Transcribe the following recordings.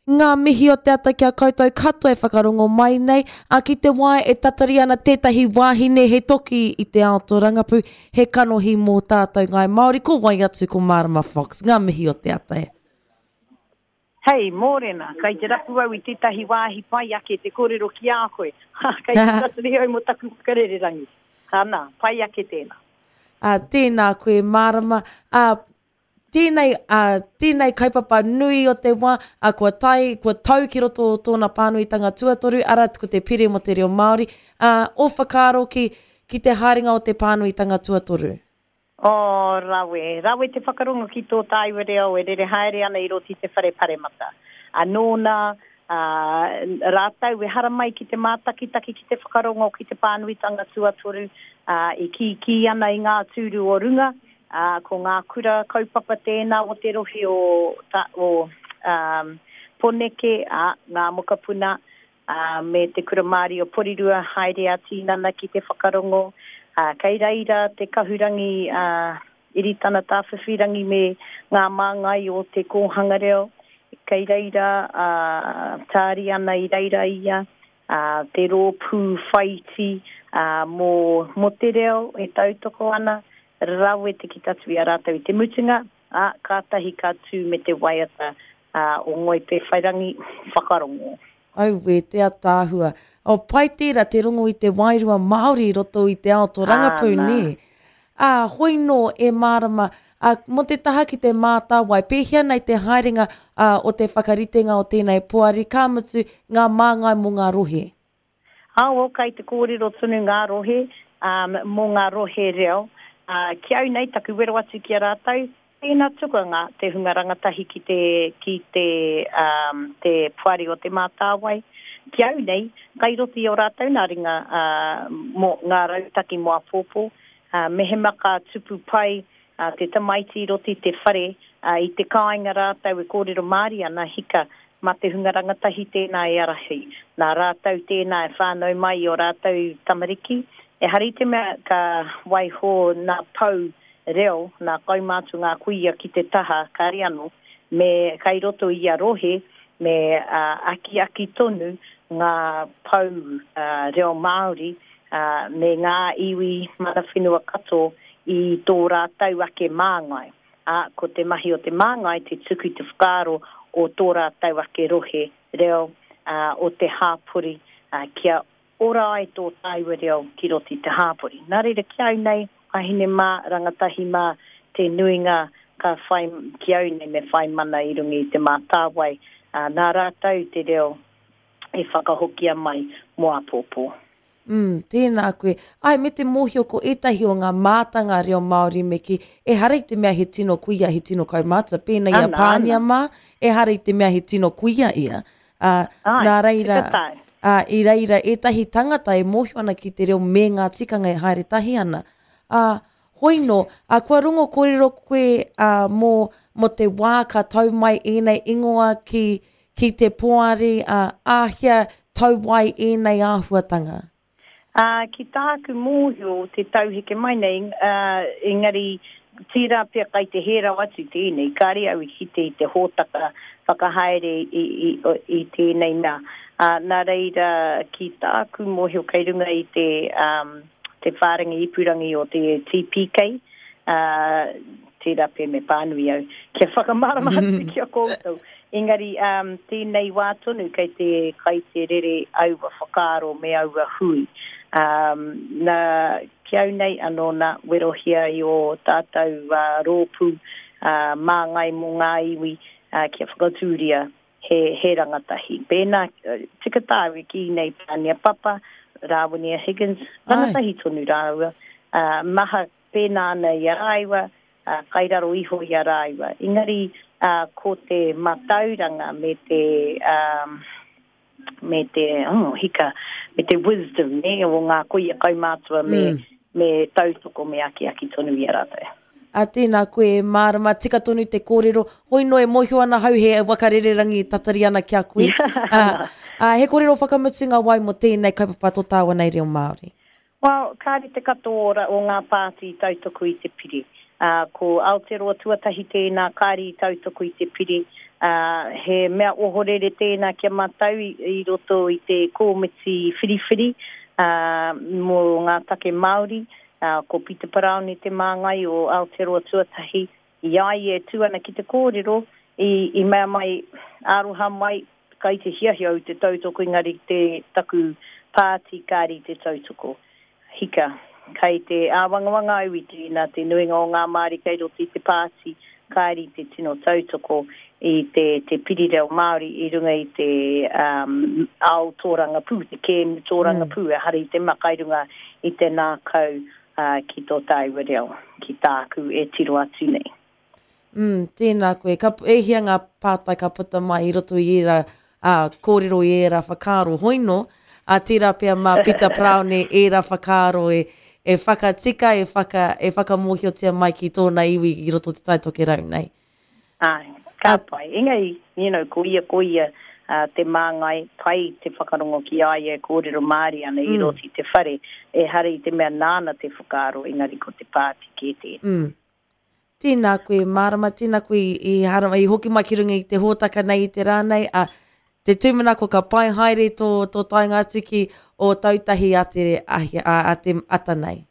Ngā mihi o te ata ki a koutou katoa e whakarongo mai nei, ā, ki te wā e tatari ana tētahi wāhine he toki i te ao tōrangapū, he kanohi mō tātou Ngāi Māori, ko wai atu ko Mārama Fox. Ngā mihi o te ata e. Hei, mōrena, kei te rapu au i tētahi wāhi pai ake te kōrero ki a koe. Ha, kei te tatari au mō taku whakarererangi. Ana, pai ake tēnā. Ā, tēnā koe, Mārama. Ā, Tēnei, ā, tēnei kaupapa nui o te wā, ā, kua tae, kua tau ki roto o tōna pānuitanga tuatoru, arā, ko te Pire mō te Reo Māori, ā, ō whakaaro ki, ki te haerenga o te pānuitanga tuatoru? Oh, rawe. Rawe te whakarongo ki tō tāua reo e rere haere ana i roto i te whare paremata. Ā, nōna, ā, rātou e haramai ki te mātakitaki, ki te whakarongo ki te pānuitanga tuatoru, ā, e kīkī ana i ngā tūru o runga, Ā, ko ngā kura kaupapa tēnā o te rohe o, o, um, Poneke, ā, ngā mokopuna, ā, me te Kura Māori o Porirua haere ā-tīnana ki te whakarongo, ā, kei reira te kahurangi, ā, Iritana Tāwhiwhirangi me ngā māngai o te kōhanga reo, kei reira, ā, tāri ana i reira ia, ā, te rōpū whaiti, ā, mō, mō te reo e tautoko ana, Rawe te kitatu i a rātou i te mutunga, ā, kātahi ka tū me te waiata o Ngoi Pēwhairangi, Whakarongo. Auē, te ataahua. Oh, pai tērā te rongo i te wairua Māori i roto i te ao tōrangapū, nē? Ā, hoi nō e mārama, ā, mō te taha ki te mātāwai, pēhea nei te haerenga, ā, o te whakaritenga o tēnei poari, ka mutu, ngā māngai mō ngā rohe? Aoao kai te kōrero tonu ngā rohe mō ngā rohe reo. Ki au nei, taku wero atu ki a rātou, tēnā tukua ngā, te hunga rangatahi ki te, ki te, te Poari o Te Mātāwai. Ki au nei, kai roto i ō rātou nā ringa mō ngā rautaki mō āpōpō. Mehemea ka tupu pai te tamaiti i roto i te whare, i te kāinga rātou e kōrero Māori ana, hika, mā te hunga rangatahi tēnā e ārahi. Nā rātou tēnā e whānau mai i ō rātou tamariki. Ehara i te mea ka waiho nā pou reo, nā kaumātua ngā kuia ki te taha, kāre anō, me kai roto i ia rohe, me akiaki tonu ngā pou reo Māori me ngā iwi mana whenua katoa i tō rātou ake māngai, ā, ko te mahi o te māngai te tuku i te whakaaro o tō rātou ake rohe reo, ā, o te hāpori, ā, kia ora ai tō tāua reo ki roto i te hāpori. Nā reira, ki au nei, wāhine mā, rangatahi mā, te nuinga ka whai, ki au nei me whai mana i runga i Te Mātāwai, ā, nā rātou te reo e whakahokia mai mō āpōpō. Mm, tēnā koe. Āe, me te mōhio ko ētahi o ngā mātanga reo Māori me kī, ehara i te mea he tino kuia, he tino kaumātua, pēnei i a Pānia mā, ehara i te mea he tino kuia ia. Ā, nā reira, ā, i reira ētahi tangata e mōhio ana ki te reo me ngā tikanga e haere tahi ana. Ā, hoi nō, ā, kua rongo kōrero koe, ā, mō, mō te wā ka tau mai ēnei ingoa ki, Ki te poari, ā, āhea tau ai ēnei āhuatanga? Ā, ki tāku mōhio te tau heke mai nei, ā, engari tērā pea kai te hē rawa atu tēnei, kāre au i kite i te hōtaka whakahaere i, i, i tēnei mea. Ā, nā reira, ki tāku mōhio kei runga i te, ā, te whārangi ipurangi o te TPK, ā, tērā pea me pānui au kia whakamārama atu ki a koutou. Engari, um, tēnei wā tonu kei te, kai te rere aua whakaaro me aua hui. Um, nā, ki au nei anō nā, werohia i ō tātou uh, rōpū uh, māngai mō ngā iwi uh, kia whakatūria he, he rangatahi. Pēnā, tika tāu e kī nei Pānia Papa, Rāwinia Higgins, rangatahi tonu rāua, uh, maha Pēnā ana i a rāua, ā, kai raro iho i a rāua. Engari, ā, ko te matauranga me te, ā, me te, oh, hika, me te wisdom, nē, o ngā kuia kaumātua me, me tautoko, me akiaki tonu i a rātou. Ā, tēnā koe e mārama, tika tonu te kōrero, hoi noa e mōhio ana hau he waka rererangi e tatari ana ki a koe. Ā, ā, he kōrero whakamutunga wai mō tēnei kaupapa tō tāua nei reo Māori? Well, kāre te katoa o ngā pāti i tautoko i te pire. Ā, ko Aotearoa Tuatahi tēnā kāre i tautoko i te pire. Ā, he mea ohorere tēnā ki a mātou i, i roto i te kōmiti whiriwhiri, ā, mō ngā take Māori, ā, ko Pita Paraone te māngai o Aotearoa Tuatahi, i a ia e tū ana ki te kōrero, i, i mea mai, aroha mai, kai te hiahia au te tautoko engari te, taku pāti kāre i te tautoko. Hika, kai te āwangawanga au i tēnā, te nuinga o ngā Māori kei roto i te pāti kāre i te tino tautoko i te, te piri reo Māori i runga i te um, ao tōrangapū, te kēmu tōrangapū, mm. ehara i te mea kai runga i te nākau uh, ki tō tāua reo, ki tāku e tiro atu nei. Mm, tēnā koe. Ka, e hia ngā pātai ka puta mai i roto i ērā ā, kōrero i ērā whakaaro hoino, ā, tērā pea mā Pita Paraone ērā whakaaro e, e whakatika, e, whaka, e whakamōhiotia mai ki tōna iwi i roto o Te Tai Tokerau nei. Āe, ka pai. Engari, you know, ko ia, ko ia uh, te māngai pai te whakarongo ki a ia e kōrero Māori ana i mm. roto i te whare. Ehara i te mea nāna te whakaaro, engari ko te pāti kē tēnā. Mm. Tēnā koe, Mārama, tēnā koe i, i haramai, i hoki mai ki runga i te hōtaka nei i te rā nei, a, te tūmanako ka pai haere tō, tō taenga atu ki Ōtautahi a te, ahi, a, a te ata nei.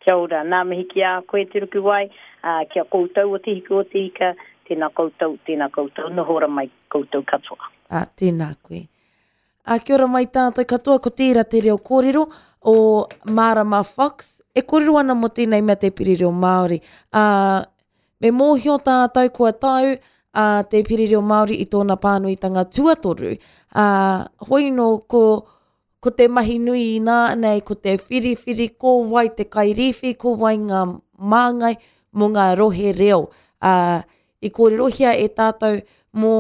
Kia ora, nā mihi ki a koe Te Rukuwai, ā, ki a koutou o Te Hiku o Te Ika, tēnā koutou, tēnā koutou, noho ora mai koutou katoa. Ā, tēnā koe. Ā, kia ora mai tātou katoa, ko tērā te reo kōrero o Mārama Fox, e kōrero ana mō tēnei mea te piri reo Māori. Ā, me mōhio tātou kua tau a te piri reo Māori i tōna pānuitanga tuatoru. Ā, hoi nō ko, ko te mahi nui inā nei, ko te whiriwhiri ko wai te kairīwhi, ko wai ngā māngai mō ngā rohe reo. Ā, I kōrerohia e tātou mō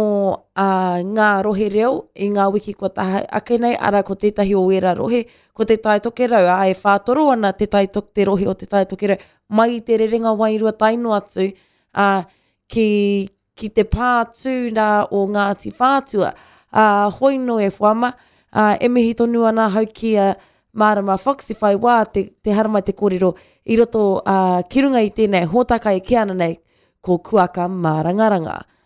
ngā rohe reo i ngā wiki kua taha ake nei, arā ko tētahi o ērā rohe, ko Te Tai Tokerau, ā, e whātoro ana te, tai, te rohe o Te Tai Tokerau mai i te rerenga wairua tae noa atu, ā, ki, ki te pā tū rā o Ngāti Whātua. Ā, hoi nō e whama, ā, e mihi tonu ana ahau ki a Mārama Fox i whai wā te, te haramai te kōrero i roto, ā, ki runga i tēnei hōtaka e kī ana nei, ko Kuaka Mārangaranga.